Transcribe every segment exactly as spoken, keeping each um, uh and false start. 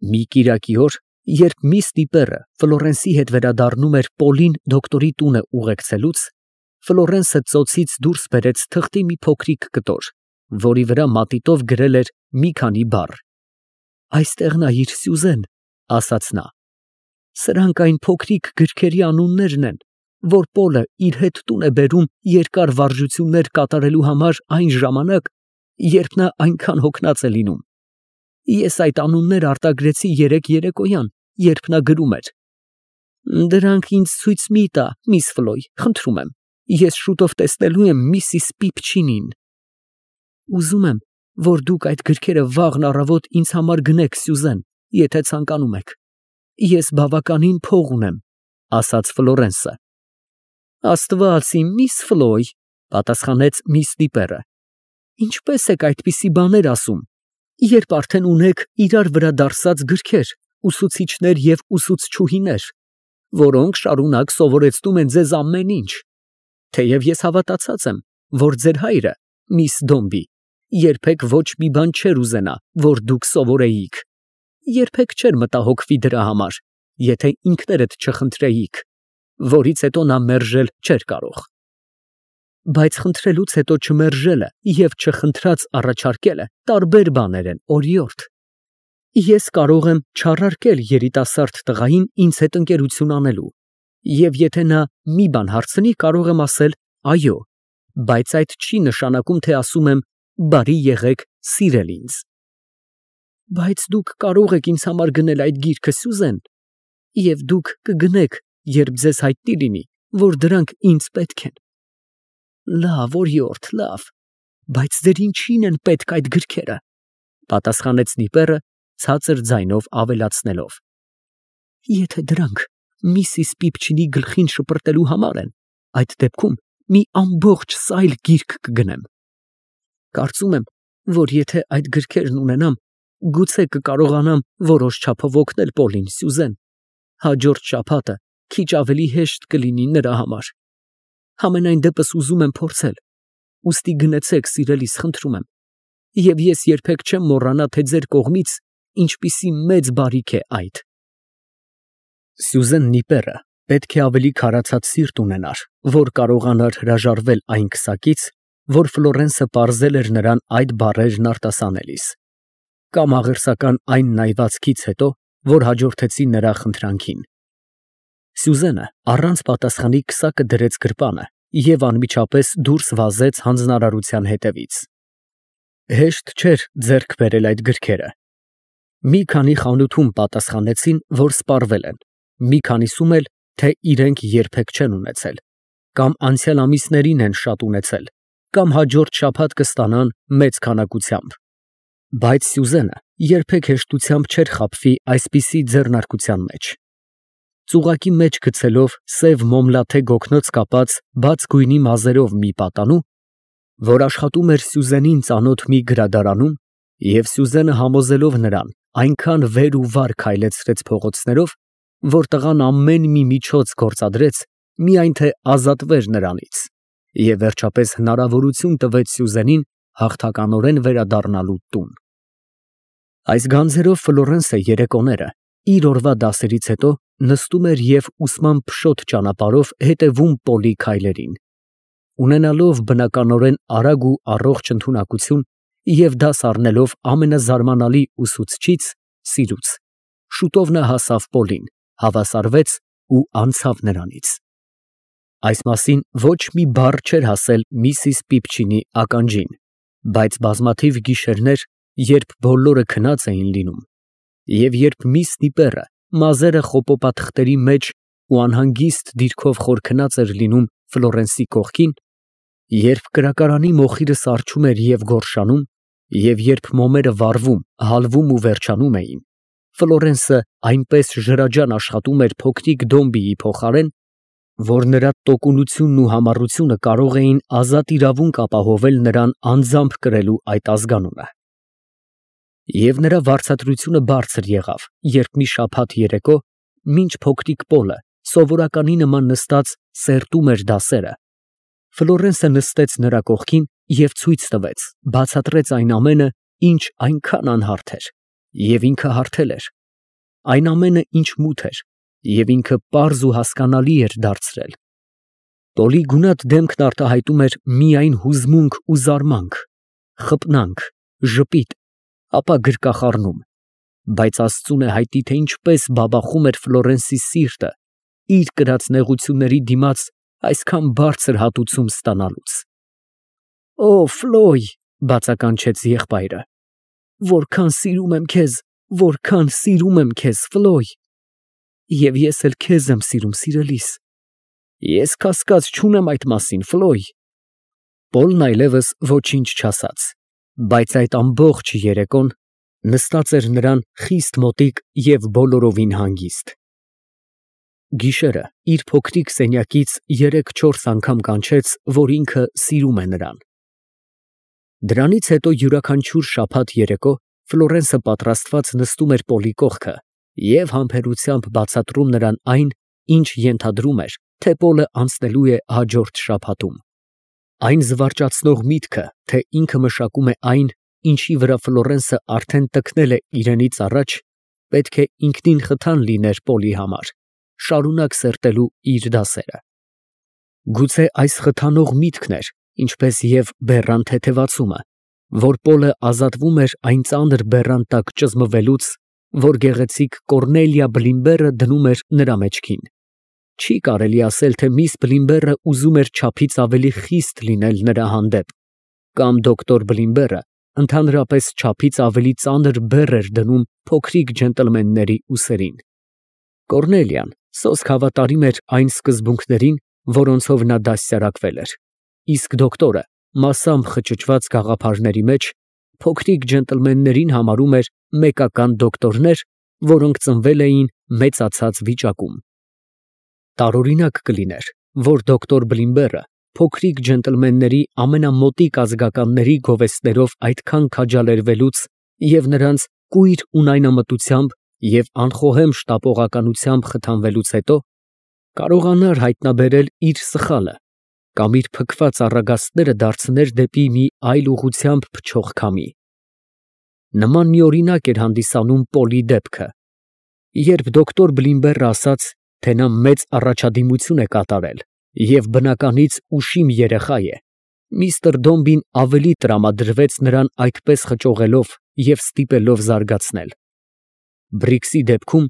Մի կիրակի օր, երբ միս Դիպերը Ֆլորենսի հետ վերադառնում էր Պոլին դոկտորի տունը ուղեկցելուց, Ֆլորենսը ծոցից դուրս բերեց թղթի մի փոքրիկ կտոր, որի վրա մատիտով գրել էր մի քանի բառ։ «Այստեղ նայիր, Սյուզեն», ասաց նա։ «Սրանք այն փոքրիկ գրքերի անուններն են, որ Պոլը իր հետ տուն է բերում երկար վարժություններ կատարելու համար այն ժամանակ, երբ նա այնքան հոգնած է լինում։ Ես այդ անունները արտագրեցի երեկ երեկոյան, երբ նա գրում էր։ Դրանք ինձ ցույց մի տա, միս Ֆլոյ, խնդրում եմ, ես շուտով տեսնելու եմ միսիս Պիպչինին»։ «Ուզում եմ, որ դուք այդ գրքերը վաղն առավոտ ինձ համար գնեք, Սյուզեն, եթե ցանկանում եք։ Ես բավականին փող ունեմ», ասաց Ֆլորենսը։ «Աստված իմ, միս Ֆլոյ», պատասխանեց միս Դիպերը, «ինչպես եք այդպիսի բաներ ասում, երբ արդեն ունեք իրար վրա դարսած գրքեր, ուսուցիչներ և ուսուցչուհիներ, որոնք շարունակ սովորեցնում են ձեզ ամեն ինչ, թեև ես հավատացած եմ, որ ձեր հայրը, միս Դոմբի, երբեք ոչ մի բան չէր ուզենա, որ դուք սովորեիք, երբեք չէր մտահոգվի դրա համար, եթե ինքներդ չխնդրեիք, որից հետո նա մերժել չէր կարող։ Բայց խնդրելուց հետո չմերժելը և չխնդրած առաջարկելը տարբեր բաներ են, օրիորդ։ Ես կարող եմ չառարկել երիտասարդ տղային ինձ հետ ընկերություն անելու, և եթե նա մի բան հարցնի, կարող եմ ասել այո, բայց այդ չի նշանակում, թե ասում եմ բարի եղեք, սիրել ինձ։ Բայց դուք կարող եք ինձ համար գնել այդ գիրքը, Սյուզեն, և դուք կգնեք, երբ ձեզ հայտնի լինի, որ դրանք ինձ պետք են։ Լավ, օրիորդ, լավ, բայց ձեր ինչին են պետք այդ գրքերը, պատասխանեց Դիպերը ցածր ձայնով ավելացնելով։ Եթե դրանք միսիս Պիպչինի գլխին շպրտելու համար են, այդ դեպքում մի ամբողջ սայլ գիրք կգնեմ։ Կարծում եմ, որ եթե այդ գրքերն ունենամ, գուցե կկարողանամ որոշ չափով օգնել Պոլին, Սյուզեն, հաջորդ շաբաթը քիչ ավելի հեշտ կլինի նրա համար։ Համենայն դեպս ուզում եմ փորձել, ուստի գնացեք, սիրելիս, խնդրում եմ, և ես երբեք չեմ մոռանա, թե ձեր կողմից ինչպիսի մեծ բարիք է այդ։ Սյուզեն Նիպերը պետք է ավելի քարացած սիրտ ունենար, որ կարողանար հրաժարվել այն քսակից, որ Ֆլորենսը պարզել էր նրան այդ բառերն արտասանելիս, կամ աղերսական այն նայվածքից հետո, որ հաջորդեցին նրա խնդրանքին։ Սյուզենը առանց պատասխանի քսակը դրեց գրպանը և անմիջապես դուրս վազեց հանձնարարության հետևից։ Հեշտ չէր ձեռք բերել այդ գրքերը։ Մի քանի խանութում պատասխանեցին, որ սպառվել են, մի քանիսում էլ, թե իրենք երբեք չեն ունեցել, կամ անցյալ ամիսներին են շատ ունեցել, կամ հաջորդ շաբաթ կստանան մեծ քանակությամբ։ Բայց Սյուզենը երբեք հեշտությամբ չէր խաբվի այսպիսի ձեռնարկության մեջ։ Ծուղակի մեջ գցելով սև մոմլաթե գոգնոց կապած բաց գույնի մազերով մի պատանու, որ աշխատում էր Սյուզենին ծանոթ մի գրադարանում, և Սյուզենը համոզելով նրան այնքան վեր ու վար քայլեցրեց փողոցներով, որ տղան ամեն մի միջոց գործադրեց, միայն թե ազատվեր նրանից, և վերջապես հնարավորություն տվեց Սյուզենին հաղթականորեն վերադառնալու տուն։ Այս գանձերով Ֆլորենսը երեկոները իր օրվա դասերից հետո նստում էր և ուսման փշոտ ճանապարհով հետևում Պոլի քայլերին, ունենալով բնականորեն արագ ու առողջ ընդունակություն և դաս առնելով ամենազարմանալի ուսուցչից՝ սիրուց, շուտով նա հասավ Պոլին, հավասարվեց ու անցավ նրանից։ Այս մասին ոչ մի բառ չէր ասել միսիս Պիպչինի ականջին, բայց բազմաթիվ գիշերներ, երբ բոլորը քնած էին լինում, և երբ միս Դիպերը մազերը խոպոպաթղթերի մեջ ու անհանգիստ դիրքով խոր քնած էր լինում Ֆլորենսի կողքին, երբ կրակարանի մոխիրը սառչում էր և գորշանում, և երբ մոմերը վառվում, հալվում ու վերջանում էին, Ֆլորենսը այնպես ջրաջան աշխատում էր փոքրիկ Դոմբիի փոխարեն, որ նրա տոկունությունն ու համառությունը կարող էին ազատ իրավունք ապահովել նրան անձամբ կրելու այդ ազգանունը։ Եվ նրա վարձատրությունը բարձր եղավ, երբ մի շաբաթ երեկո, մինչ փոքրիկ Պոլը սովորականի նման նստած սերտում էր դասերը, Ֆլորենսը նստեց նրա կողքին և ցույց տվեց, բացատրեց այն ամենը, ինչ այնքան անհարթ էր, և ինքը հարթել էր, այն ամենը, ինչ մութ էր, և ինքը պարզ ու հասկանալի էր դարձրել։ Տոլի գունատ դեմքն արտահայտում էր միայն հուզմունք ու զարմանք, խպնանք, ժպիտ, ապա գրկախառնում, բայց աստծուն է հայտնի, թե ինչպես բաբախում էր Ֆլորենսի սիրտը իր կրած նեղությունների դիմաց այսքան բարձր հատուցում ստանալուց։ «Օ, Ֆլոյ», բացականչեց եղբայրը, «որքան սիրում եմ քեզ, որքան սիրում եմ քեզ, Ֆլոյ, և ես էլ քեզ եմ սիրում, սիրելիս, ես կասկած չունեմ այդ մասին, Ֆլոյ»։ Պոլն այլևս ոչինչ չասաց, բայց այդ ամբողջ երեկոն նստած էր նրան խիստ մոտիկ և բոլորովին հանգիստ։ Գիշերը իր փոքրիկ սենյակից երեք֊չորս անգամ կանչեց, որ ինքը սիրում է նրան։ Դրանից հետո յուրաքանչյուր շաբաթ երեկո Ֆլորենսը պատրաստված նստում էր Պոլի կողքը և համբերությամբ բացատրում նրան այն, ինչ ենթադրում էր, թե Պոլը անցնելու է հաջորդ շաբաթում։ Այն զվարճացնող միտքը, թե ինքը մշակում է այն, ինչի վրա Ֆլորենսը արդեն տքնել է իրենից առաջ, պետք է ինքնին խթան լիներ Պոլի համար, շարունակ սերտելու իր դասերը։ Գուցե այս խթանող միտքն էր, ինչպես և բեռան թեթևացումը, որ Պոլը ազատվում էր այն ծանր բեռան տակ ճզմվելուց, որ գեղեցիկ Կոռնելիա Բլիմբերը դնում էր նրա մեջքին։ Չի կարելի ասել, թե միս Բլիմբերը ուզում էր չափից ավելի խիստ լինել նրա հանդեպ, կամ դոկտոր Բլիմբերը ընդհանրապես չափից ավելի ծանր բեռ էր դնում փոքրիկ ջենտլմենների ուսերին։ Կոռնելիան սոսկ հավատարիմ էր այն սկզբունքներին, որոնցով նա դաստիարակվել էր, իսկ դոկտորը մասամբ խճճված գաղափարների մեջ փոքրիկ ջենտլմեններին համարում էր մեկական դոկտորներ, որոնք ծնվել էին մեծացած վիճակում։ Տարօրինակ կլիներ, որ դոկտոր Բլիմբերը փոքրիկ ջենտլմենների ամենամոտիկ ազգականների գովեստներով այդքան քաջալերվելուց և նրանց կույր ունայնամտությամբ և անխոհեմ շտապողականությամբ խթանվելուց հետո կարողանար հայտնաբերել իր սխալը կամ իր փքված առագաստները դարձներ դեպի մի այլ ուղղությամբ փչող քամի։ Նման մի օրինակ էր հանդիսանում Պոլի դեպքը, երբ դոկտոր Բլիմբերը ասաց, թե նա մեծ առաջադիմություն է կատարել և բնականից ուշիմ երեխա է, միստր Դոմբին ավելի տրամադրվեց նրան այդպես խճողելով և ստիպելով զարգացնել։ Բրիքսի դեպքում,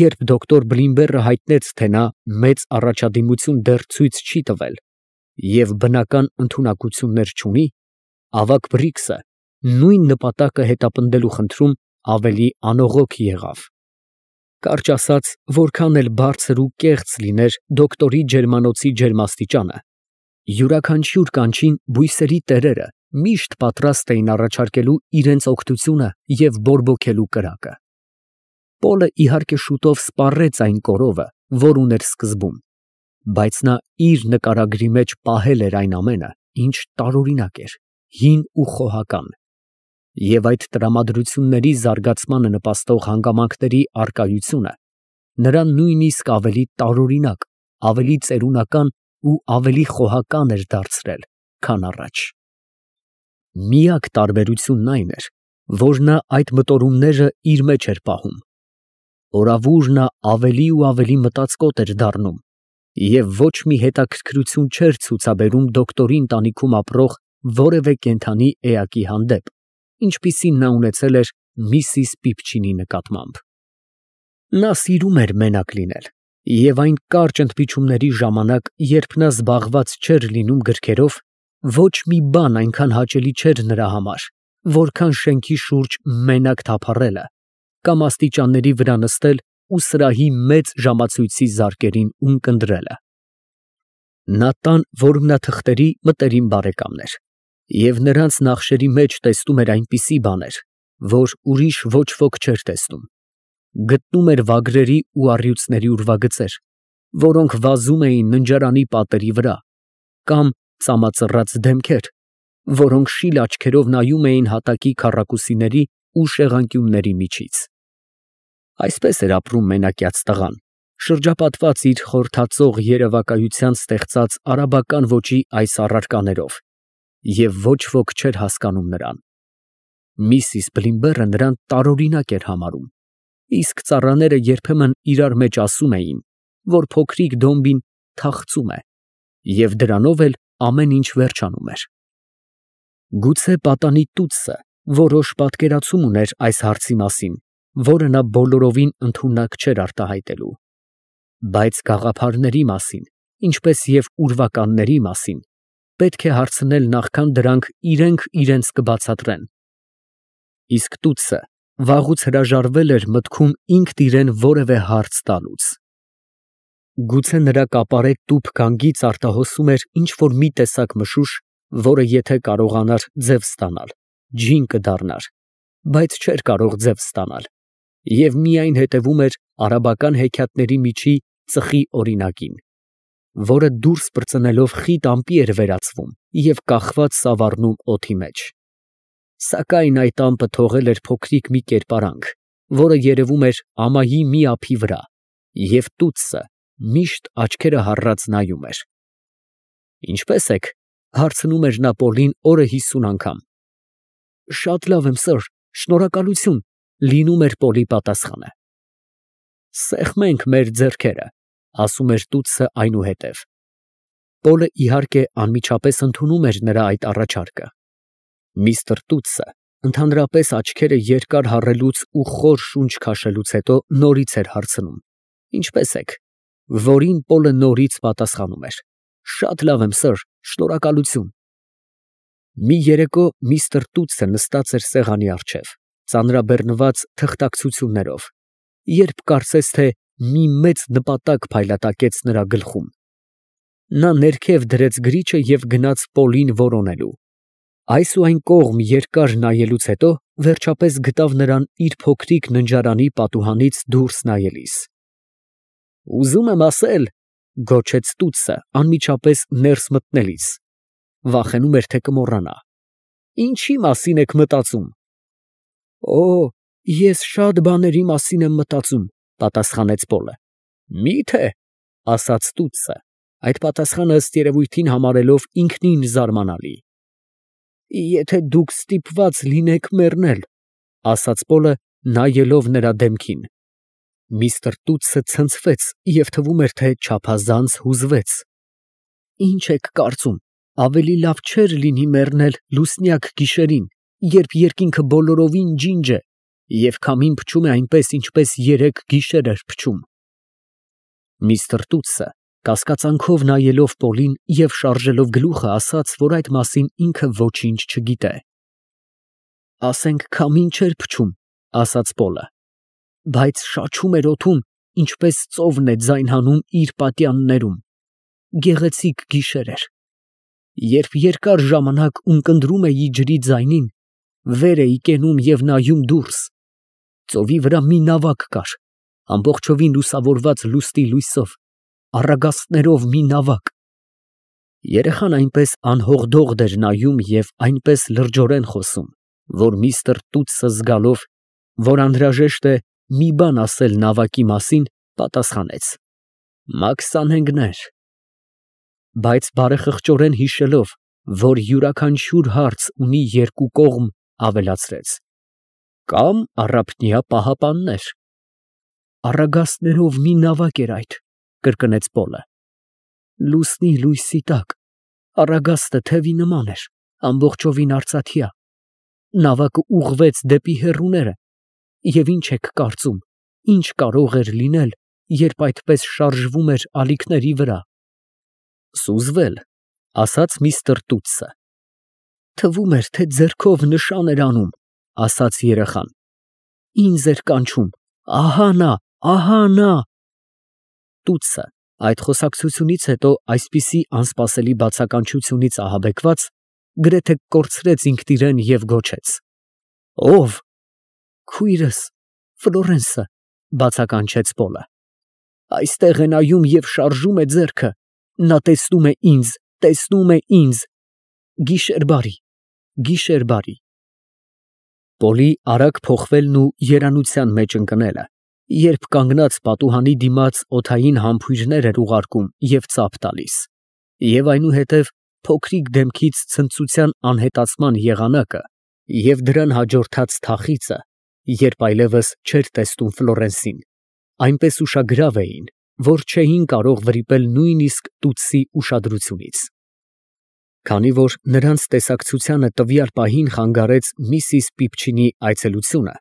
երբ դոկտոր Բլիմբերը հայտնեց, թե նա մեծ առաջադիմություն դեռ ցույց չի տվել և բնական ընդունակություններ չունի, ավագ Բրիքսը նույն նպատակը հետապնդելու խնդրում ավելի անողոք եղավ։ Կարճ ասած, որքան էլ բարձր ու կեղծ լիներ դոկտորի ջերմանոցի ջերմաստիճանը, յուրաքանչյուր կանչին բույսերի տերերը միշտ պատրաստ էին առաջարկելու իրենց օգնությունը և բորբոքելու կրակը։ Պոլը իհարկե շուտով սպառեց այն կորովը, որ ուներ սկզբում, բայց նա իր նկարագրի մեջ պահել էր այն ամենը, ինչ տարօրինակ էր, հին ու խոհական, և այդ տրամադրությունների զարգացմանը նպաստող հանգամանքների առկայությունը նրան նույնիսկ ավելի տարօրինակ, ավելի ծերունական ու ավելի խոհական էր դարձրել, քան առաջ։ Միակ տարբերությունն այն էր, որ նա այդ մտորումները իր մեջ էր պահում։ Օրավուր նա ավելի ու ավելի մտածկոտ էր դառնում և ոչ մի հետաքրքրություն չէր ցուցաբերում դոկտորի ընտանիքում ապրող որևէ կենդանի էակի հանդեպ, ինչպիսին նա ունեցել էր միսիս Պիպչինի նկատմամբ։ Նա սիրում էր մենակ լինել, և այն կարճ ընդմիջումների ժամանակ, երբ նա զբաղված չէր լինում գրքերով, ոչ մի բան այնքան հաճելի չէր նրա համար, որքան շենքի շուրջ մենակ թափառելը կամ աստիճանների վրա նստել ու սրահի մեծ ժամացույցի զարկերին ունկնդրելը։ Նա տան որմնաթղթերի մտերիմ բարեկամն էր և նրանց նախշերի մեջ տեսնում էր այնպիսի բաներ, որ ուրիշ ոչ ոք չէր տեսնում, գտնում էր վագրերի ու առյուծների ուրվագծեր, որոնք վազում էին ննջարանի պատերի վրա, կամ ծամածռած դեմքեր, որոնք շիլ աչքերով նայում էին հատակի քառակուսիների ու շեղանկյունների միջից։ Այսպես էր ապրում մենակյաց տղան, շրջապատված իր խորհրդածող երևակայությամբ ստեղծած արաբական ոճի այս առարկաներով, և ոչ ոք չէր հասկանում նրան։ Միսիս Բլիմբերը նրան տարօրինակ էր համարում, իսկ ծառաները երբեմն իրար մեջ ասում էին, որ փոքրիկ Դոմբին թախծում է, և դրանով էլ ամեն ինչ վերջանում էր։ Գուցե պատանի տուտսը որոշ պատկերացում ուներ այս հարցի մասին, որը նա բոլորովին ընդունակ չէր արտահայտելու, բայց գաղափարների մասին, ինչպես և ուրվականների մասին, պետք է հարցնել նախքան դրանք իրենք իրենց կբացատրեն։ Իսկ տուտսը վաղուց հրաժարվել էր մտքում ինքն իրան որևէ հարց տալուց։ Գուցե նրա կապարե տուփ գանգից արտահոսում էր ինչ֊որ մի տեսակ մշուշ, որը եթե կարողանար ձև ստանալ, ջին կդառնար, բայց չէր կարող ձև ստանալ, և միայն հետևում էր արաբական հեքիաթների միջի ծխի օրինակին, որը դուրս պրծնելով խիտ ամպի էր վերածվում և կախված սավառնում օդի մեջ։ Սակայն այդ ամպը թողել էր փոքրիկ մի կերպարանք, որը երևում էր ամայի մի ափի վրա, և տուտսը միշտ աչքերը հառած նայում էր։ «Ինչպե՞ս եք», հարցնում էր նա Պոլին օրը հիսուն անգամ։ «Շատ լավ եմ, սըր, շնորհակալություն», լինում էր Պոլի պատասխանը։ «Սեղմենք մեր ձեռքերը», ասում էր տուտսը այնուհետև։ Պոլը իհարկե անմիջապես ընդունում էր նրա այդ առաջարկը։ Միստր Տուտսը ընդհանրապես աչքերը երկար հառելուց ու խոր շունչ քաշելուց հետո նորից էր հարցնում. «Ինչպե՞ս եք», որին Պոլը նորից պատասխանում էր. «Շատ լավ եմ, սըր, շնորհակալություն»։ Մի երեկո միստր Տուտսը նստած էր սեղանի առջև, ծանրաբեռնված թղթակցություններով, երբ կարծես թե մի մեծ նպատակ փայլատակեց նրա գլխում։ Նա ներքև դրեց գրիչը և գնաց Պոլին որոնելու։ Այս ու այն կողմ երկար նայելուց հետո վերջապես գտավ նրան իր փոքրիկ ննջարանի պատուհանից դուրս նայելիս։ «Ուզում եմ ասել», ֊ գոչեց տուտսը անմիջապես ներս մտնելիս, վախենում էր, թե կմոռանա, «ինչի մասին եք մտածում»։ «Օ, ես շատ բաների մասին եմ մտածում», ֊ պատասխանեց Պոլը։ «Մի՞թե», ֊ ասաց տուտսը, այդ պատասխանը ըստ երևույթին համարելով ինքնին զարմանալի։ «Եթե դուք ստիպված լինեք մեռնել», ֊ ասաց Պոլը, նայելով նրա դեմքին։ Միստր Տուտսը ցնցվեց և թվում էր, թե չափազանց հուզվեց։ «Ի՞նչ եք կարծում, ավելի լավ չէր լինի մեռնել լուսնյակ գիշերին, երբ երկինքը բոլորովին ջինջ է, և քամին փչում է այնպես, ինչպես երեկ գիշեր էր փչում»։ Միստր Տուտսը կասկածանքով նայելով Պոլին և շարժելով գլուխը, ասաց, որ այդ մասին ինքը ոչինչ չգիտե։ «Ասենք քամին չէր փչում», ֊ ասաց Պոլը, «բայց շաչում էր օդում, ինչպես ծովն է ձայն հանում իր պատյաններում։ Գեղեցիկ գիշեր էր։ Երբ երկար ժամանակ ունկնդրում էի ջրի ձայնին, վեր էի կենում և նայում դուրս։ Ծովի վրա մի նավակ կար, ամբողջովին լուսավորված լուսնի լույսով, առագաստներով մի նավակ։ Երեխան այնպես անհողդողդ էր նայում և այնպես լրջորեն խոսում, որ միստր Տուտսը զգալով, որ անհրաժեշտ է մի բան ասել նավակի մասին, պատասխանեց. «Մաքսանենգներ»։ Բայց բարեխղճորեն հիշելով, որ յուրաքանչյուր հարց ունի երկու կողմ, ավելացրեց. «Կամ առափնյա պահապաններ»։ «Առագաստներով մի նավակ էր այդ», ֊ կրկնեց Պոլը։ «Լուսնի լույսի տակ, առագաստը թևի նման էր, ամբողջովին արծաթյա։ Նավակը ուղղվեց դեպի հեռուները, և ի՞նչ եք կարծում, ինչ կարող էր լինել, երբ այդպես շարժվում էր ալիքների վրա»։ «Սուզվել», ֊ ասաց միստր Տուտսը։ «Թվում էր, թե ձեռքով նշան էր անում», ֊ ասաց երեխան։ «Ինձ էր կանչում. ահա նա, ահա նա»։ Տուտսը այդ խոսակցությունից հետո այսպիսի անսպասելի բացականչությունից ահաբեկված, գրեթե կորցրեց ինքն իրեն և գոչեց. «Ո՞վ»։ «Քույրս, Ֆլորենսը», ֊ բացականչեց Պոլը։ «Այստեղ է նայում և շարժում է ձեռքը, նա տեսնում է ինձ, տեսնում է ինձ։ Գիշեր բարի, գիշեր բարի»։ Պոլի արագ փոխվելն ու երանության մեջ ընկնելը, երբ կանգնած պատուհանի դիմաց օդային համբույրներ էր ուղարկում և ծափ տալիս, և այնուհետև փոքրիկ դեմքից ցնծության անհետացման եղանակը և դրան հաջորդած թախիծը, երբ այլևս չէր տեսնում Ֆլորենսին, այնպես ուշագրավ էին, որ չէին կարող վրիպել նույնիսկ տուտսի ուշադրությունից։ Քանի որ նրանց տեսակցությանը տվյալ պահին խանգարեց միսիս Պիպչինի այցելությունը,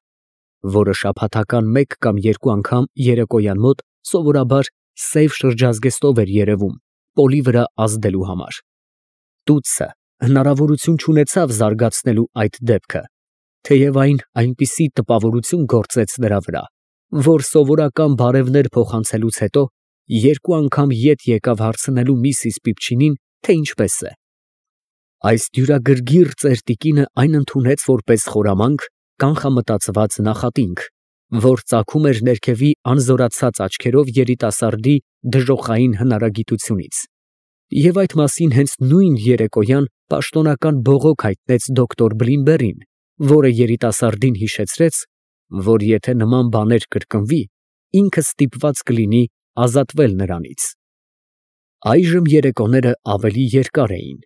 որը շաբաթական մեկ կամ երկու անգամ երեկոյան մոտ սովորաբար սև շրջազգեստով էր երևում Պոլի վրա ազդելու համար, տուտսը հնարավորություն չունեցավ զարգացնելու այդ դեպքը, թեև այն այնպիսի տպավորություն գործեց նրա վրա, որ սովորական բարևներ փոխանցելուց հետո երկու անգամ ետ եկավ հարցնելու միսիս Պիպչինին, թե ինչպես է։ Այս դյուրագրգիռ ծեր տիկինը այն ընդունեց որպես խորամանկ, կանխամտածված նախատինք, որ ծագում էր ներքևի անզորացած աչքերով երիտասարդի դժոխային հնարագիտությունից, և այդ մասին հենց նույն երեկոյան պաշտոնական բողոք հայտնեց դոկտոր Բլինբերին, որը երիտասարդին հիշեցրեց, որ եթե նման բաներ կրկնվի, ինքը ստիպված կլինի ազատվել նրանից։ Այժմ երեկոները ավելի երկար էին,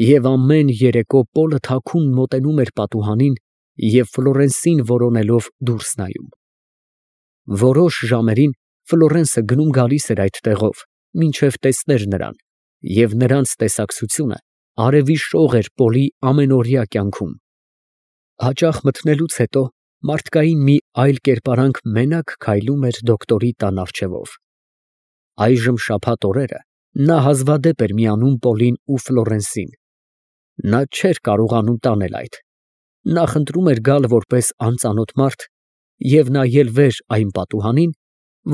և ամեն երեկո Պոլը թաքուն մոտենում էր պատուհանին և Ֆլորենսին որոնելով դուրս նայում։ Որոշ ժամերին Ֆլորենսը գնում֊գալիս էր այդ տեղով, մինչև տեսներ նրան, և նրանց տեսակցությունը արևի շող էր Պոլի ամենօրյա կյանքում։ Հաճախ մթնելուց հետո մարդկային մի այլ կերպարանք մենակ քայլում էր դոկտորի տան առջևով։ Այժմ շաբաթ օրերը նա հազվադեպ էր միանում Պոլին ու Ֆլորենսին։ Նա չէր կարողանում տանել այդ. նա խնդրում էր գալ որպես անծանոթ մարդ և նայել վեր այն պատուհանին,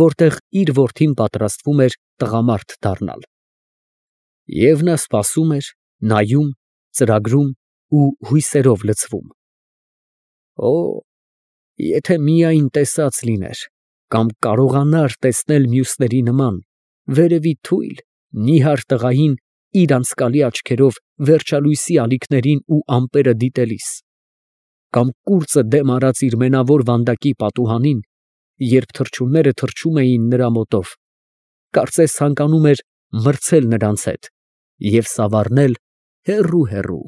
որտեղ իր որդին պատրաստվում էր տղամարդ դառնալ։ Եվ նա սպասում էր, նայում, ծրագրում ու հույսերով լցվում։ Օ, եթե միայն տեսած լիներ, կամ կարողանար տեսնել մյուսների նման, վերևի թույլ, նիհար տղային իր անցկալի աչքերով վերջալույսի ալիքներին ու ամպերը դիտելիս, կամ կուրծը դեմ արած իր մենավոր վանդակի պատուհանին, երբ թռչունները թռչում էին նրա մոտով, կարծես ցանկանում էր մրցել նրանց հետ և սավառնել հեռու֊հեռու։